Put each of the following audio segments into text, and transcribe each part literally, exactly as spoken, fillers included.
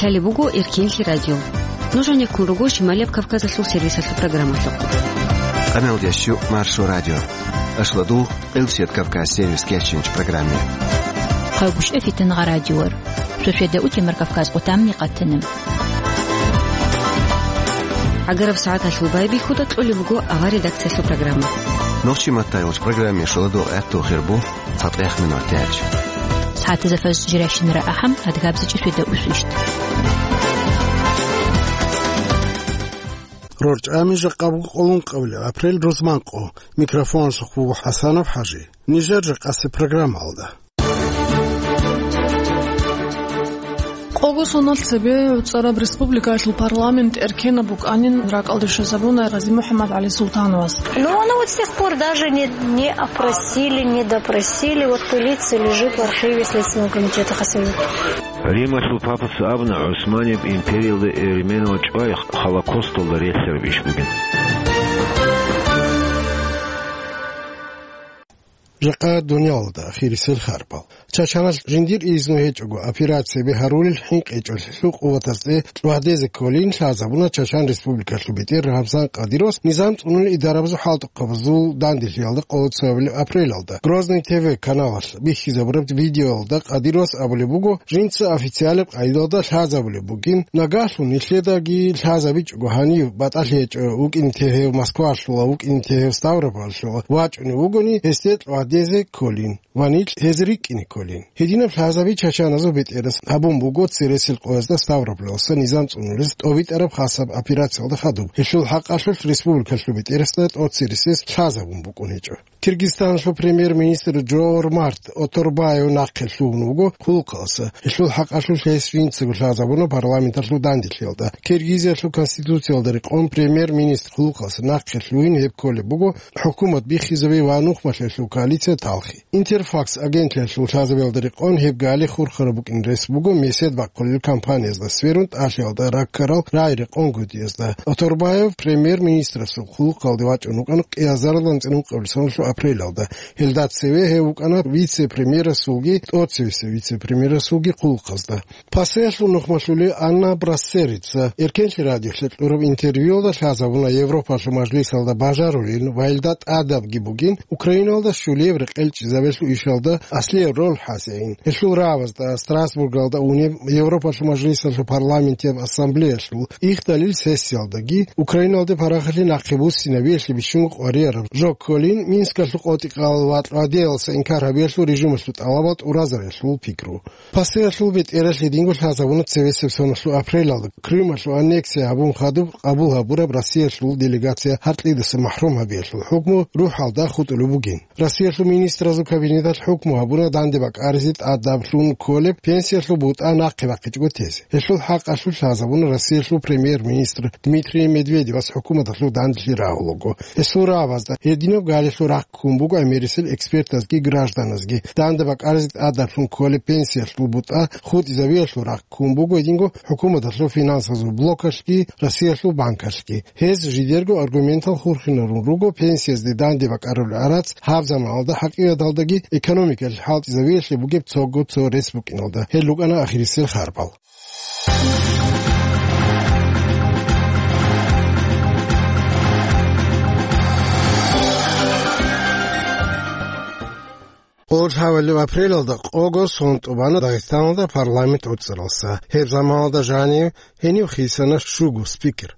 Лъалеб буго Эркенлъи радио. Нуж гьанеккун руго Шималияб Кавказалъул сервисалъул программалъухъ. Къамелдещу Маршо радио. Ашладул Къилсият Кавказ сервис кечинч программе. Хъалгушев Фитангъа радиор. Шошеда утемар Кавказ къутамни къатана. Агараб сагӀаталъул байбихьуда кьолеб буго авар редакциялъул программа. Нохчи маттайгъуч программе шоладо гӀатту хирбу. ЦатӀехъ минутач. СагӀатазда фаз жирашинара ахӀам, адгабзичӀи шведа усвищ. РорчӀами жакъа буго къоло ункъабилеб апрель рузман къо. Микрофоналъухъ буго ХӀасанов ХӀажи. Нижер жакъасеб программалда. Къого соналъ цебе гӀуцӀараб республикаялъул парламент эркенаб букӀанин ракӀалде щвезабуна Гъази МухӀаммад ГӀали Султановас. Ну, оно вот с тех пор даже не, не опросили, не допросили. Вот пылится, лежит в архиве Следственного комитета Хасавюрта. Рималъул папас абуна, ГӀусманияб империялда эрименал чӀвай Холокосталда релълъараб иш бугин. Жакъа дуниялалда ахирисел харбал. Чачаналъ жиндир изну гьечӀого операцияби гьарулел хӀинкъичӀолъулъул къуватазде чӀвадезе кколин лъазабуна Чачан Республикалъул бетӀер Рамзан Кадировас низам цӀунулел идарабазул хӀалтӀухъабазул данделъиялда къоло цоабилеб апрелалда. Грозный Т В каналалъ бихьизабураб видеоялда Кадировас абулеб буго, жинца официалаб къайдалда лъазабулеб бугин, нагагьлъун нилъедаги лъазабичӀого гьанив батӀалъи гьечӀо вукӀине тегьев Москвалъула, вукӀине тегьев Ставропольлъула вачӀунев вугони, гьесде чӀвадезе кколин ва нилъ гьез рикӀкӀине кколин. Гьединаб лъазаби чачаназул бетӀерас гьабун буго цересел къоязда Ставрополалъуса низам цӀунулез тӀобитӀараб хасаб операциялда хадуб. Гьелъул хӀакъалъулъ республикалъул бетӀерасда тӀоцересез лъазабун букӀун гьечӀо. Киргизстаналъул премьер-министр Жомарт Оторбаев нахъе лъугьун вуго хъулухъалъуса. Гьелъул хӀакъалъулъ гьес жинцаго лъазабуна парламенталъул данделъиялда. Киргизиялъул конституциялда рекъон премьер-министр хъулухъалъуса нахъе лъугьин гьеб кколеб буго хӀукумат биххизаби ва нухмалъиялъул коалиция талхи. Интерфакс агентлъиялъул лъазабиялда рекъон гьеб гали хурхараб букӀин рес буго месед бахъулел кампаниязда сверун тӀалъиялда раккарал рагӀи рекъон гьудиязда. Оторбаев премьер-министрасул хъулухъалде вачӀун вукӀана кӀиазарилан цӀинукъабилеб соналъул апрелалда. Гьелда цеве гьев вукӀана вице-премьерасулги тӀоцевесев вице-премьерасулги хъулухъазда. Пасеялъул нухмалъулев Анна Брассерица Эркенлъи радиолъе кьураб интервьюялда лъазабуна Европалъул мажлисалда бажарулин ва гьелда тӀадабги бугин Украиналда щулияб рекъелчӀезабиялъул ишалда аслияб роль хӀасеин. Гьелъул рагӀабазда Страсбургалда унеб Европалъул мажлисалъул парламентияб ассамблеялъул ихдалил сессиялдаги Украиналде парахалъи нахъе буссинабиялъе бищунго къварияраб жо кколин Минскалъул къотӀи-къал ва тӀадеялъуса инкар гьабиялъул режималъул тӀалабал тӀуразабиялъул пикру. Пасеялъул бетӀералъ гьединго лъазабуна цевесеб соналъул апрелалда Крымалъул аннексия гьабун хадуб къабул гьабураб Россиялъул делегация гьаркьидаса махӀрум гьабиялъул хӀукму рухӀалда хутӀулеб бугин. Россиялъул министразул кабинеталъ хӀукму гьабуна данде бакӀаризе тӀадаблъун кколеб пенсиялъул бутӀа нахъе бахъичӀого тезе. Гьелъул хӀакъалъулъ лъазабуна Россиялъул премьер-министр Дмитрий Медведевас хӀукуматалъул данделъи рагьулаго. Гьесул рагӀабазда гьединаб галилъул рахъ ккун буго гӀемерисел экспертазги гражданазги. Данде бакӀаризе тӀадаблъун кколеб пенсиялъул бутӀа хутӀизабиялъул рахъ ккун буго гьединго хӀукуматалъул финансазул блокалъги, Россиялъул банкалъги. Гьез жидерго аргументал хурхинарун руго пенсиязде данде бакӀарулел гӀарац гьаб заманалда хӀакъикъаталдаги экономикалъ хӀалтӀизабиялъе бугеб цого цо рес букӀиналда. Гьел рукӀана ахирисел харбал. Къоло лъабабилеб апрелалда къого сон тӀубана Дагъистаналда парламент гӀуцӀаралса. Гьеб заманалда жанив гьенив хисана щуго спикер.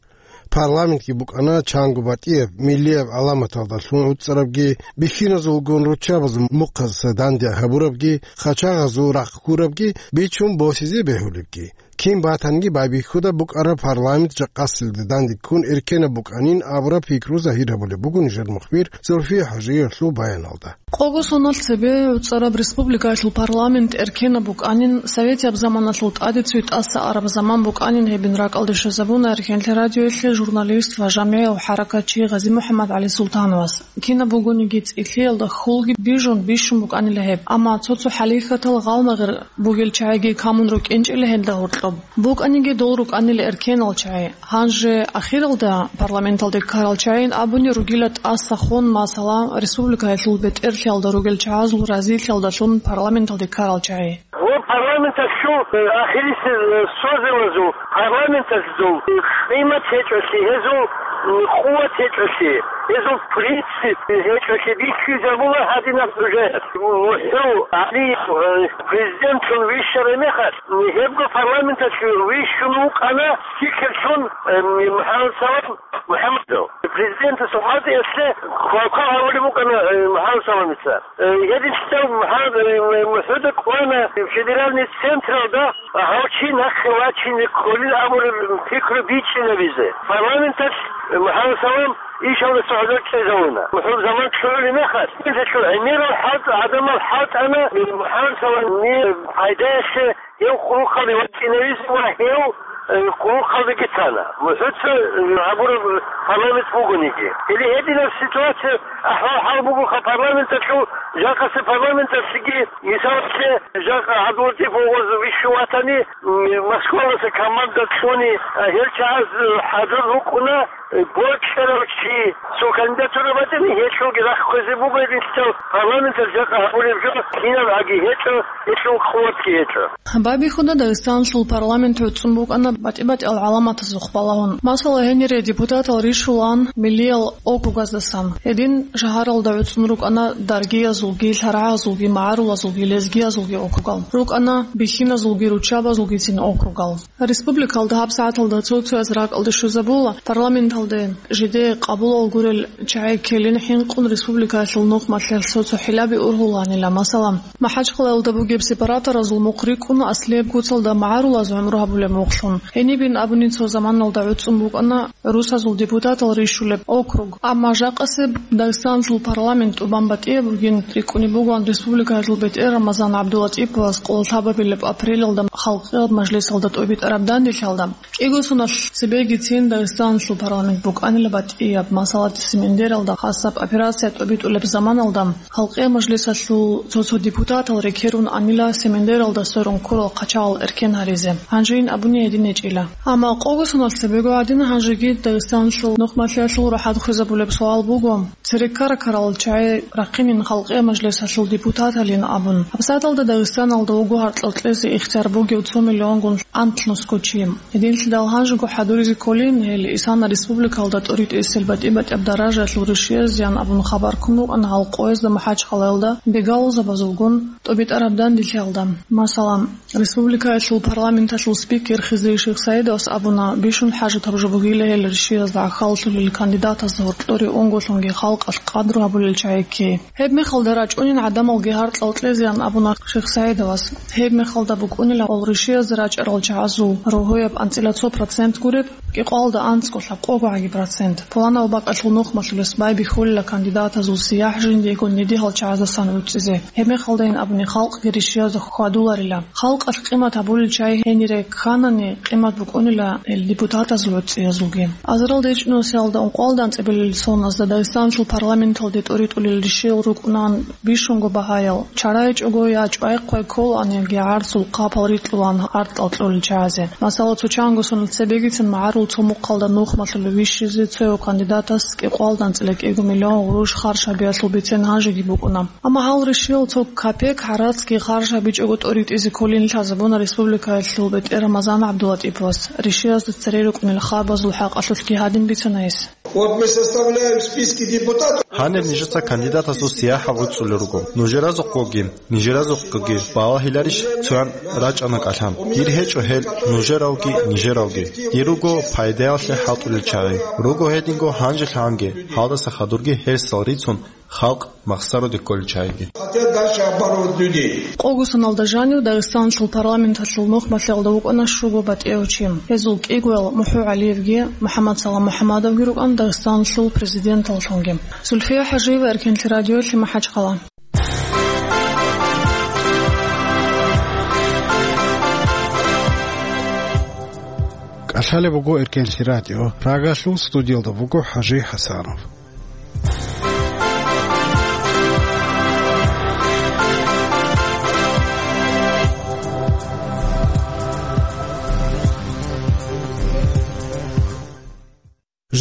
Парламентги букӀана чанго батӀияб, миллияб гӀаламаталдалъун гӀуцӀарабги, бихьиназулгун руччабазул мухъазаса данде гьабурабги, хъачагъазул рахъ ккурабги, бичун босизе бегьулебги. Кин батанги байбихьуда букӀараб парламент жакъасилда данде ккун эркенаб букӀанин абураб пикру загьир гьабулеб буго нижер мухбир Зульфия ХӀажиевалъул баяналда. Къого соналъ цебе гӀуцӀараб республикаялъул парламент эркенаб букӀанин, советияб заманалъул тӀаде цоги тӀаса араб заман букӀанин гьебин ракӀалде щвезабуна Эркенлъи радиоялъе журналист ва жамигӀав хӀаракатчи Гъази МухӀаммад ГӀали Султановас. Кинаб бугониги цӀилъиялда хьулги бижун бищун букӀанила гьеб. Амма цо-цо хӀалихьатал гъалмагъир бугел чагӀиги камун рукӀинчӀила гьелда гьоркьоб. БукӀаниги дол рукӀанила эркенал чагӀи. Гьанже ахиралда парламенталде ккарал чагӀийин абуни ругила тӀаса хон, масала, республикаялъул бетӀерлъиялда ругел чагӀазул разилъиялдалъун парламенталде ккарал чагӀи. Вот Парламенталъул, э, ахирисел, э, созывазул, парламенталъул, э, къимат гьечӀолъи, гьезул, м, къуват гьечӀолъи, гьезул принцип гьечӀолъи бихьизабула гьадинаб хӀужаялъ. МухӀкан гьаниб, э, президентлъун вищарай мехалъ, м, гьебго парламенталъ вищун вукӀана спикерлъун, э, МухӀаммад Салам МухӀаммадов. Президентас гьадиялъе квалквал гьавулеб букӀана, э, МухӀаммад Саламица. Э, гьединлъидал гьаб, э, МухӀуда кӀвана федеральный централда, гьав чи нахъе вачине кколин абураб пикру бичӀчӀинабизе. Парламенталъ, э, МухӀаммад Салам ишалдаса гьазур чӀезавуна. МухӀуд заман лъугӀулеб мехалъ, гьелъул гӀемерал хӀалтӀ, гӀадамал хӀалтӀана, э, МухӀаммад Саламил пайдаялъе гьев къулухъалде вачӀинавизе ва гьев, э, къулухъалдеги тана. МухӀуца, э, гьабураб парламент бугониги. Или гьединаб ситуация, ахӀвал-хӀал бугоха парламенталъул, жакъасе парламенталъги, мисалалъе, жакъа ГӀабдуллатӀип вугъуз вищун ватани, м, Москваласа команда кьуни, а, гьел чагӀаз, э, хӀадур рукӀуна, э, бокьарав чи, цо кандидатура батӀани, гьелъулги рахъ хвезе буго гьединлъидал парламенталъ жакъа гьабулеб жо, кинаб гӀаги гьечӀо, гьелъул къуватги гьечӀо. Байбихьуда Дагъистаналъул парламент гӀуцӀун букӀана батӀи-батӀиял гӀаламатазухъ балагьун. Масала, гьенире депутатал рищулаан миллиял округаздасан. Гьедин шагьаралда гӀуцӀун рукӀана даргиязулги, лъарагӀазулги, магӀарулазулги, лезгиязулги округал. РукӀана бихьиназулги, руччабазулгицин округал. Республикалда гьабсагӀаталда цо-цояс ракӀалде щвезабула, парламенталде жидее къабулал гурел чагӀи ккелин хӀинкъун республикаялъул нухмалъиялъ цо-цо хӀилаби ургьуланила. Масала, МахӀачхъалаялда бугеб сепараторазул мухъ рикӀкӀуна аслияб куцалда магӀарулаз гӀумру гьабулеб мухълъун. Гьенибин абуни цо заманалда гӀуцӀун букӀана русазул депутатал рищулеб округ. Амма жакъасеб Дагъистаналъул парламент тӀубан батӀияб бугин рикӀкӀунеб бугоан республикаялъул бетӀер Рамазан ГӀабдулатӀиповас къоло лъабабилеб апрелалда халкъияб мажлисалда тӀубитӀараб данделъиялда. КӀиго соналъ цебегицин Дагъистаналъул парламент букӀанила батӀияб, масала, Семендералда хасаб операция тӀубитӀулеб заманалда, халкъияб мажлисалъул цо-цо депутатал рекерун анила Семендералда сверун ккурал хъачагъал эркен гьаризе. Гьанжейин абуни гьедин гьечӀила. Амма къого соналъ цебего гӀадин гьанжеги Дагъистаналъул нухмалъиялъул рахӀат хвезабулеб суал буго, цереккаракарал чагӀи рахъинин халкъияб мажлисалъул депутаталин абун. ГьабсагӀаталда Дагъистаналда вуго гьаркьал кьезе ихтияр бугев цо миллионгун анлънусго чи. Гьединлъидал гьанжего хӀадуризе кколин, гьел исана республикалда тӀуритӀисел батӀи-батӀияб даражаялъул ришиязеян абун хабар ккун рукӀана гьал къоязда МахӀачхъалаялда бегалъузабазулгун тӀубитӀараб данделъиялда. Масала, республикаялъул парламенталъул спикер Хизри Шихсаидовас абуна, бищун хӀажатаб жо бугила гьел ришиязда гӀахьаллъулел кандидатазда гьоркьоре унголъунги халкъалъ къадру гьабулел чагӀи ккей. Гьеб мехалда рачӀунин гӀадамалги гьаркьал кьезеян абуна Шихсаидовас. Гьеб мехалда букӀунила гьал ришиязда рачӀарал чагӀазул рогьояб анцӀила цо процент гуреб, кӀикъоялда анцӀго лъабкъого гӀаги процент. Пуланаб бакӀалъул нухмалъулес байбихьулила кандидатазул сияхӀ жиндиего неде гьал чагӀаздасан гӀуцӀизе. Гьеб мехалдайин абуни халкъги ришиязда хьвадуларила. Халкъалъ къимат гьабулел чагӀи гьенире кканани, къимат букӀунила гьел депутатазул гӀуцӀиязулги. Азарилда ичӀнусиялда ункъоялда анцӀабилел соназда Дагъистаналъул парламенталде тӀуритӀулел ришиял рукӀунаан бищунго багьаял, чарайчӀого я чӀвай-хъвай кколаан, яги гӀарцул хъапал рикьулаан гьаркьал кьолел чагӀазе. Масала, цо чанго соналъ цебегицин магӀарул цо мухъалда нухмалъулев вищизе цояв кандидатас кӀикъоялда анцӀила кӀиго миллион гъурущ харж гьабиялъул бицен гьанжеги букӀуна. Амма гьал ришиял цо капек гӀарацги харж гьабичӀого тӀуритӀизе кколин лъазабуна республикаялъул бетӀер Рамазан ГӀабдулатӀиповас, ришиязда цере рукӀунел хабазул хӀакъалъулъги гьадин бицана гьес. Вот мы составляем списки депутатов. Гьаниб нижеца кандидатазул сияхӀ гӀуцӀулел руго. Нужеразухъгоги, нижеразухъгоги балагьиларищ цоян рачӀана кӀалъан? Дир гьечӀо гьел нужеравги, нижеравги. Дир руго пайдаялъе хӀалтӀулел чагӀи. Руго гьединго гьанжелъагӀанги, гьалдаса хадурги гьерсал рицун, халкъ махсаруде кколел чагӀиги. Хотят дальше обманывать людей. Къого соналда жанив Дагъистаналъул парламенталъул нухмалъиялда вукӀана щуго батӀияв чи. Гьезул кӀигоял МухӀу ГӀалиевги, МухӀаммад Салам МухӀаммадовги рукӀана Дагъистаналъул президенталлъунги. Зульфия ХӀажиева, Эркенлъи радиолъи, МахӀачхъала. КӀалъалеб буго Эркенлъи радио, Прагалъул студиялда буго ХӀажи ХӀасанов.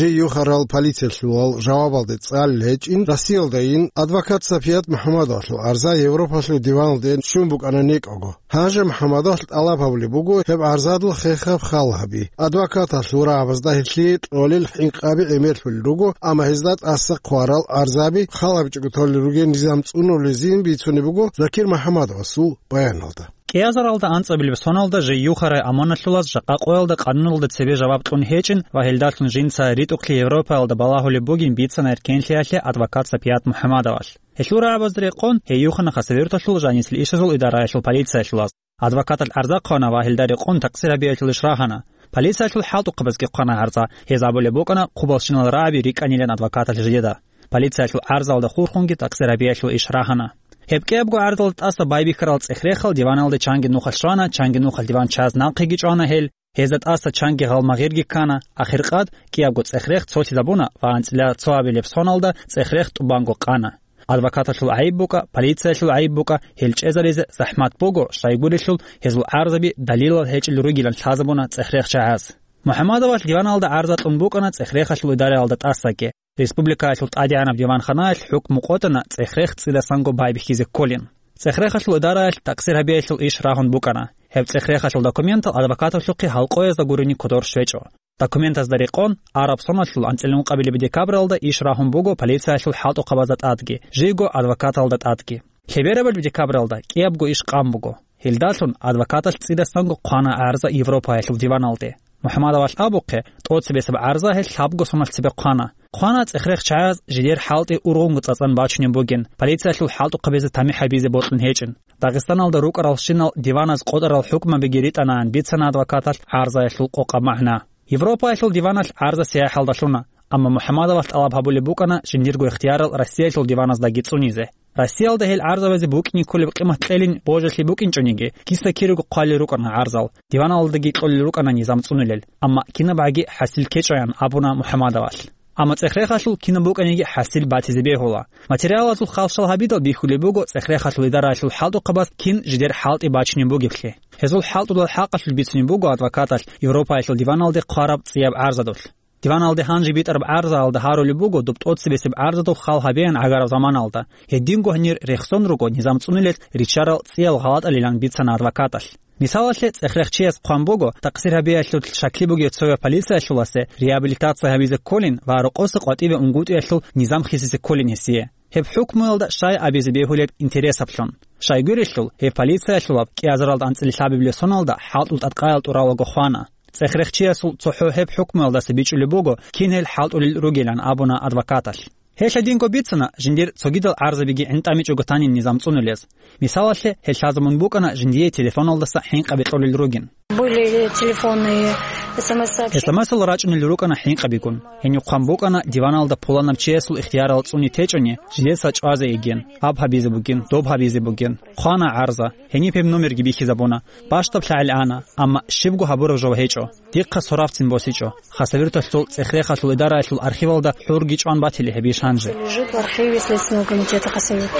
Жий юхарал полициялъулал жавабалде цӀалел гьечӀин, Россиялдайин адвокат Сапият МухӀаммадовалъул арза Европалъул диваналде щун букӀана некӀого. Гьанже МухӀаммадовалъ тӀалаб гьабулеб буго гьеб арзадул хехаб хал гьаби. Адвокаталъул рагӀабазда гьелъие кьолел хӀинкъаби гӀемерлъулел руго, амма гьезда тӀаса хъварал арзаби хал гьабичӀого толел ругел низам цӀунулезин бицунеб буго Закир МухӀаммадовасул баяналда. КӀиазаралда анцӀабилеб соналда жий юхарай аманалъулаз жакъа къоялда къануналда цебе жаваб кьун гьечӀин ва гьелдалъун жинца ритӀухълъи Европаялда балагьулеб бугин бицана эркенлъиялъе адвокат Сапият МухӀаммадовалъ. Гьелъул рагӀабазда рекъон, гьей юхана Хасавюрталъул жанисел ишазул идараялъул полициялъулаз. Адвокаталъ гӀарза хъвана ва гьелда рекъон такъсир гьабиялъул иш рагьана. Полициялъул хӀалтӀухъабазги хъвана гӀарза, гьез абулеб букӀана хъубалщинал рагӀаби рикӀкӀанилан адвокаталъ жидеда. Полициялъул гӀарзалда хурхунги такъсир гьабиялъул иш рагьана. Гьеб кӀиябго гӀарзалда тӀаса байбихьарал цӀех-рехал диваналде чанги нухалъ щвана, чанги нухалъ диван чаз нахъеги чӀвана гьел, гьезда тӀаса чанги гъалмагъирги ккана, ахиркъад кӀиябго цӀех-рех цолъизабуна ва анцӀила цо абилеб соналда цӀех-рех тӀубанго къана. Адвокаталъул гӀайиб букӀа, полициялъул гӀайиб букӀа, гьел чӀезаризе захӀмат буго, щайгурелъул гьезул гӀарзаби далилал гьечӀел ругилан лъазабуна цӀех-рех чагӀаз. МухӀаммадовалъ диваналда гӀарза кьун букӀана цӀех-рехалъул идараялда тӀасаги. Республикаялъул тӀадегӀанаб диванханаялъ хӀукму къотӀана цӀех-рех цӀидасанго байбихьизе кколин. ЦӀех-рехалъул идараялъ такъсир гьабиялъул иш рагьун букӀана. Гьеб цӀех-рехалъул документал адвокаталъухъе гьалкъоязда гурони кодор щвечӀо. Документазда рекъон, араб соналъул анцӀила ункъабилеб декабралда иш рагьун буго полициялъул хӀалтӀухъабазда тӀадги, жийго адвокаталда тӀадги. Лъеберабилеб декабралда кӀиябго иш къан буго. Гьелдалъун адвокаталъ цӀидасанго хъвана гӀарза Европаялъул диваналде. МухӀаммадовалъ абухъе, тӀоцебесеб гӀарза гьел лъабго соналъ цебе хъвана. Хъвана цӀех-рех чагӀаз жидер хӀалтӀи ургъунго цӀацӀан бачунеб бугин, полициялъул хӀалтӀухъабизе тамихӀ гьабизе бокьун гьечӀин. Дагъистаналда рукӀаралщинал диваназ къотӀарал хӀукмабиги ритӀанаан бицана адвокаталъ гӀарзаялъул къокъаб магӀна. Европаялъул диваналъ гӀарза сияхӀалда лъуна, амма МухӀаммадовалъ тӀалаб гьабулеб букӀана жиндирго ихтиярал Россиялъул диваназдаги цӀунизе. Россиялда гьел гӀарзабазе букӀине кколеб къимат кьелин божалъи букӀинчӀониги, киса-кириго хъвалел рукӀана гӀарзал, диваналдаги кьолел рукӀана низам цӀунулел, амма кинабгӀаги хӀасил ккечӀоян абуна МухӀаммадовалъ. Амма цӀех-рехалъул кинаб букӀаниги хӀасил батизе бегьула. Материалазул халщал гьабидал бихьулеб буго цӀех-рехалъул идараялъул хӀалтӀухъабаз кин жидер хӀалтӀи бачунеб бугеблъи. Гьезул хӀалтӀулал хӀакъалъулъ бицунеб буго адвокаталъ Европаялъул диваналде хъвараб цӀияб гӀарзадулъ. Диваналде гьанже битӀараб гӀарзаялда гьарулеб буго доб тӀоцебесеб гӀарзадул хал гьабеян гӀагараб заманалда. Гьединго гьанир рехсон руго низам цӀунулел риччарал цӀиял гъалатӀалилан бицана адвокаталъ. Мисалалъе, цӀех-рех чияс хъван буго, такъсир гьабиялъул шакли бугев цояв полициялъуласе реабилитация гьабизе кколин ва рокъоса къватӀиве унгутӀиялъул низам хисизе кколин гьесие. Гьеб хӀукмуялда щай абизе бегьулеб интересаблъун. Щайгурелъул, гьеб полициялъулаб кӀиазаралда анцӀила лъабабилеб соналда хӀалтӀул тӀадкъаял тӀуралаго хвана. ЦӀех-рех чиясул цохӀо гьеб хӀукмуялдаса бичӀчӀулеб буго, кин гьел хӀалтӀулел ругилан абуна адвокаталъ. Гьелъ гьединго бицана, жиндир цогидал гӀарзабиги гӀинтӀамичӀого танин низам цӀунулез. Мисалалъе, гьел лъазабун букӀана жиндие телефоналдаса хӀинкъаби кьолел ругин. Были телефонные СМС-сообщения. СМС-ал рачӀунел рукӀана хӀинкъабигун. Гьенив хъван букӀана диваналда пуланаб чиясул ихтиярал цӀуни течӀони, жидеца чӀвазе йигин, аб гьабизе бугин, доб гьабизе бугин. Хъвана гӀарза, гьениб гьеб номерги бихьизабуна. БащтӀаб лъагӀел ана, амма щибго гьабураб жо гьечӀо. Дихъа сорабцин босичӀо. Хасавюрталъул цӀех-рехалъул идараялъул архивалда хӀурги чӀван батили гьеб иш гьанже. Лежит в архиве Следственного комитета Хасавюрт.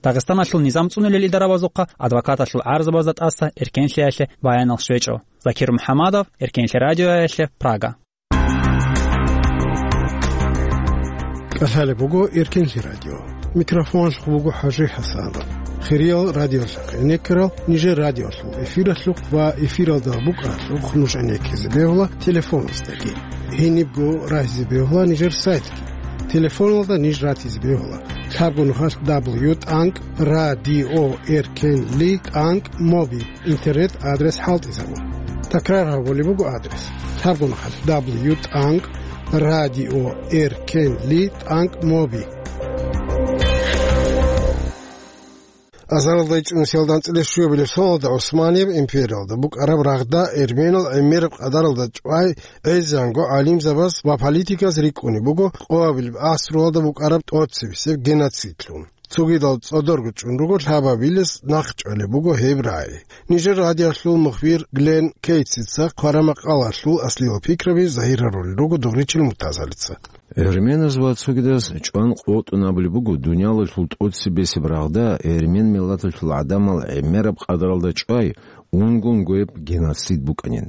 Дагъистаналъул низам цӀунулел идарабазухъа адвокаталъул гӀарзабазда тӀаса эркенлъиялъе баянал щвечӀо. Закир МухӀаммадов, Эркенлъи радиоялъе, Прага. КӀалъалеб буго Эркенлъи радио. Микрофоналъухъ буго ХӀажи ХӀасанов. Хириял радиолъухъ гӀенеккарал нижер радиолъул эфиралъухъ ва эфиралда букӀаралъухъ нуж гӀенеккизе бегьула телефоназдаги. Гьенибго рагьизе бегьула нижер сайтги. Телефоналда ниж ратизе бегьула. Лъабго нухалъ дабл ю тӀанкӀ радио эркенли тӀанкӀ моби. Интернет-адрес хӀалтӀизабун. Такрар гьабулеб буго адрес. Лъабгун хъалъ дабл ю тӀанкӀ радио эркенли тӀанкӀ моби. Азаралда ичӀнусиялда анцӀила щуабилеб соналда ГӀусманияб империялда букӀараб рагъда эрменал гӀемераб къадаралда чӀвай гӀезегӀанго гӀалимзабаз ва политиказ рикӀкӀунеб буго къоабилеб гӀасруялда букӀараб тӀоцебесеб геноцидлъун. Цогидал цӀодорго чӀун руго лъабабилес нахъчӀвалеб буго гьеб рагӀи. Нижер радиолъул мухбир Глен Кейтсица хъвараб макъалалъул аслиял пикраби загьир гьарулел руго Дугъричил Муртазалица. Эрменаз ва цогидаз чӀван къотӀун абулеб буго дуниялалъул тӀоцебесеб рагъда эрмен миллаталъул гӀадамал гӀемераб къадаралда чӀвай унго-унгояб геноцид букӀанин.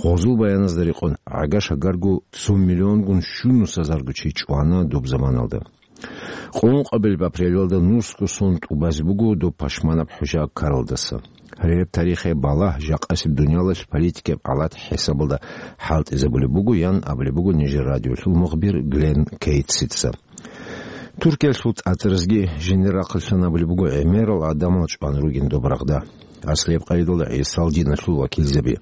Гъозул баяназда рекъон, гӀага-шагарго цо миллионгун щунус азарго чи чӀвана доб заманалда. Къуллъухъабилеб апрелалда нусго сон тӀубазе буго доб пашманаб хӀужа ккаралдаса. Гьеб тарихияб балагь жакъасеб дуниялалъ политикияб гӀалат хӀисабалда хӀалтӀизабулеб буго, ян абулеб буго нижер радиолъул мухбир Глен Кейтсица. Туркиялъул тӀатӀаразги жиндир рахъалъан абулеб буго гӀемерал гӀадамал чӀван ругин доб рагъда, аслияб къайдалда гӀисал диналъул вакилзаби.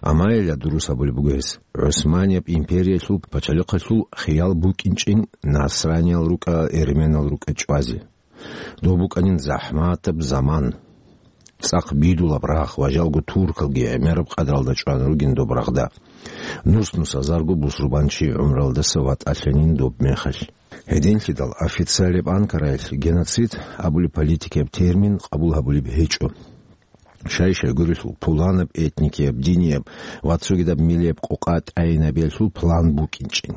Амма гьелда дурус абулеб буго гьес, ГӀусманияб империялъул пачалихъалъул хиял букӀинчӀин насраниял рукӀа, эрменал рукӀа чӀвазе. Доб букӀанин захӀматаб заман. ЦӀакъ бидулаб рагъ ва жалго туркалги гӀемераб къадралда чӀван ругин доб рагъда. Нус-нус азарго бусурбанчи гӀумралдаса ватӀалъанин доб мехалъ. Гьединлъидал официалияб Анкараялъ геноцид абулеб политикияб термин къабул гьабулеб гьечӀо. Щай-щайгурелъул пуланаб этникияб, динияб ва цогидаб миллияб къокъа тӀайинабиялъул план букӀинчӀин.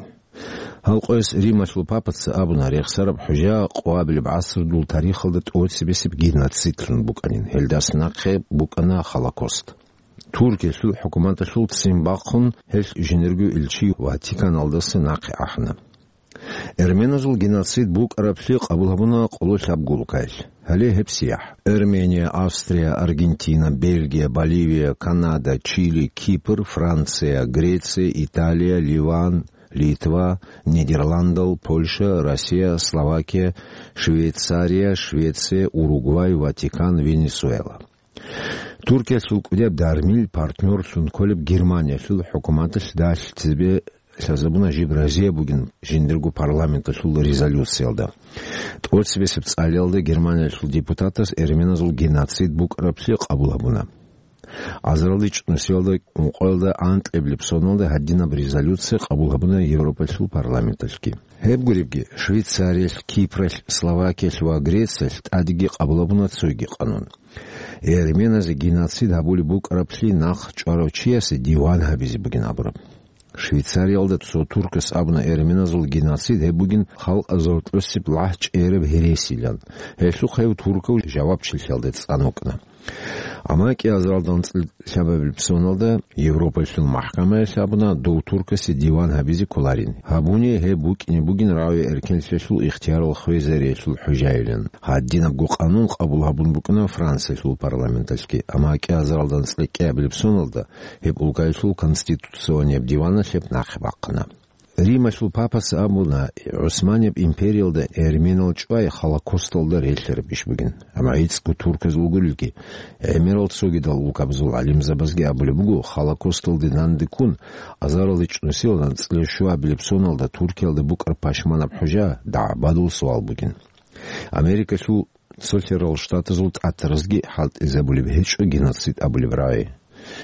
Гьал къояс Рималъул папаца абуна, рехсараб хӀужа къоабилеб гӀасрудул тарихалда тӀоцебесеб геноцидлъун букӀанин, гьелдас нахъе букӀана Холокост. Туркиялъул хӀукуматалъул ццин бахъун, гьелъ жиндирго илчи Ватиканалдаса нахъе ахӀана. Эрменазул геноцид букӀараблъи къабул гьабуна къоло лъабго улкаялъ. Гьале гьеб сияхӀ: Эрмения, Австрия, Аргентина, Бельгия, Боливия, Канада, Чили, Кипр, Франция, Греция, Италия, Ливан, Литва, Нидерландал, Польша, Россия, Словакия, Швейцария, Швеция, Уругвай, Ватикан, Венесуэла. Туркиялъул кӀудияб дармил партнёрлъун кколеб Германиялъул хӀукуматалъ далъ цебе лъазабуна жиб разияб бугин жиндирго парламенталъул резолюциялда. ТӀоцебесеб цӀалиялда Германиялъул депутатас эрменазул геноцид букӀараблъи къабул гьабуна. Азаралде чӀунусиялда ункъоялда анкьабилеб соналда гьадинаб резолюция къабул гьабуна Европалъул парламенталъги. Гьеб гуребги, Швейцариялъ, Кипралъ, Словакиялъ ва Грециялъ тӀадеги къабул гьабуна цоги къанун. Эрменазе геноцид гьабулеб букӀараблъи нахъ чӀварав чиясе диван гьабизе бугин абураб. Швейцариялда цо туркас абуна, эрменазул геноцид гьеб бугин халкъазул тӀосеб лагь чӀераб гьересилан. Гьелъухъ гьев туркав жавабчилъиялда цӀан вукӀана. Амма кӀиазаралда анцӀила лъабабилеб соналда Европалъул махкамаялъ абуна, дов туркасе диван гьабизе кколарин. Гьабуни гьеб букӀине бугин раве эркенлъиялъул ихтиярал хвезариялъул хӀужаилан. Гьадинабго къанун къабул гьабун букӀана Франциялъул парламенталъги, амма кӀиазаралда анцӀила кӀиабилеб соналда гьеб улкаялъул конституционияб диваналъ гьеб нахъе бахъана. Рималъул папас абуна, ГӀусманияб империялда эрменал чӀвай Холокосталда релълъараб иш бугин. Амма гӀицӀго турказ вугурелги, гӀемерал цогидал улкабазул гӀалимзабазги абулеб буго, Холокосталде данде ккун, азаралде чӀунусиялда анцӀила щуабилеб соналда Туркиялда букӀараб пашманаб хӀужа дагӀбадул суал бугин. Америкалъул Цолъарал Штатазул тӀатаразги хӀалтӀизабулеб гьечӀо геноцид абулеб рагӀи.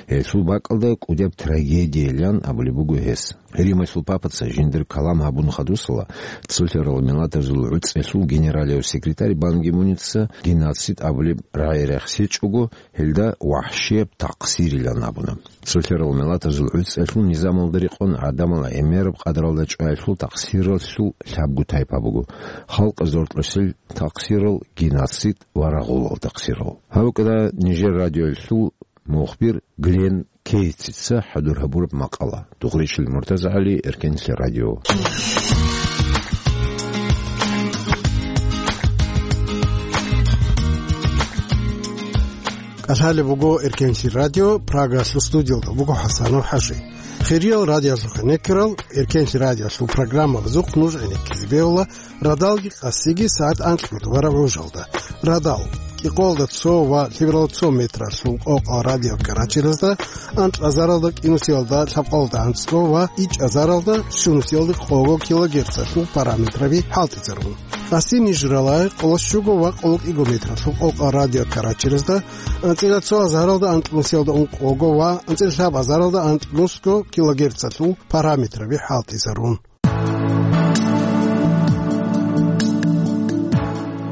Гьелъул бакӀалда кӀудияб трагедиялъан абулеб буго гьес. Рималъул папаца жиндир калам гьабун хадусала, Цолъарал Миллатазул ГӀуцӀиялъул генералияв секретарь Бан Ги Муница геноцид абулеб рагӀи рехсечӀого, гьелда вахӀшияб такъсирилан абуна. Цолъарал Миллатазул ГӀуцӀиялъул низамалда рекъон гӀадамал гӀемераб къадралда чӀваялъул такъсиралъул лъабго тайпа буго: халкъазул тӀосел такъсирал, геноцид ва рагъулал такъсирал. Гьаб букӀана нижер радиоялъул мухбир Глен Кейтсица хӀадур гьабураб макъала. Дугъричил МуртазагӀали, Эркенлъи радио. КӀалъалеб буго Эркенлъи радио, Прагалъул студиялда буго ХӀасанов ХӀажи. Хириял радиоялъухъе некерал, Эркенлъи радиоялъул программабазухъ нуж гӀенеккизе бегьула радалги къасиги сагӀат анкьго тӀубараб гӀужалда. Радал, кӀикъоялда цо ва лъебералда цо метралъул къокъал радиокаратеразда, анкьазаралда кӀинусиялда лъабкъоялда анцӀго ва ичӀазаралда щунусиялда къого килогерцалъул параметраби хӀалтӀизарун. Къаси ниж рала къоло щуго ва къоло кӀиго метралъул къокъал радиокаратеразда, анцӀила цо азаралда анкьнусиялда ункъого ва анцӀила лъаб азаралда анкьнусго килогерцалъул параметраби хӀалтӀизарун.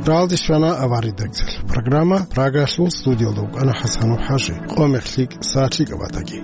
Ралдис вана аваридакцал. Программа Прагалъул студиялда вукӀана ХӀасанов ХӀажи. Къо мехлъикӀ, сагӀлъикӀ батаги.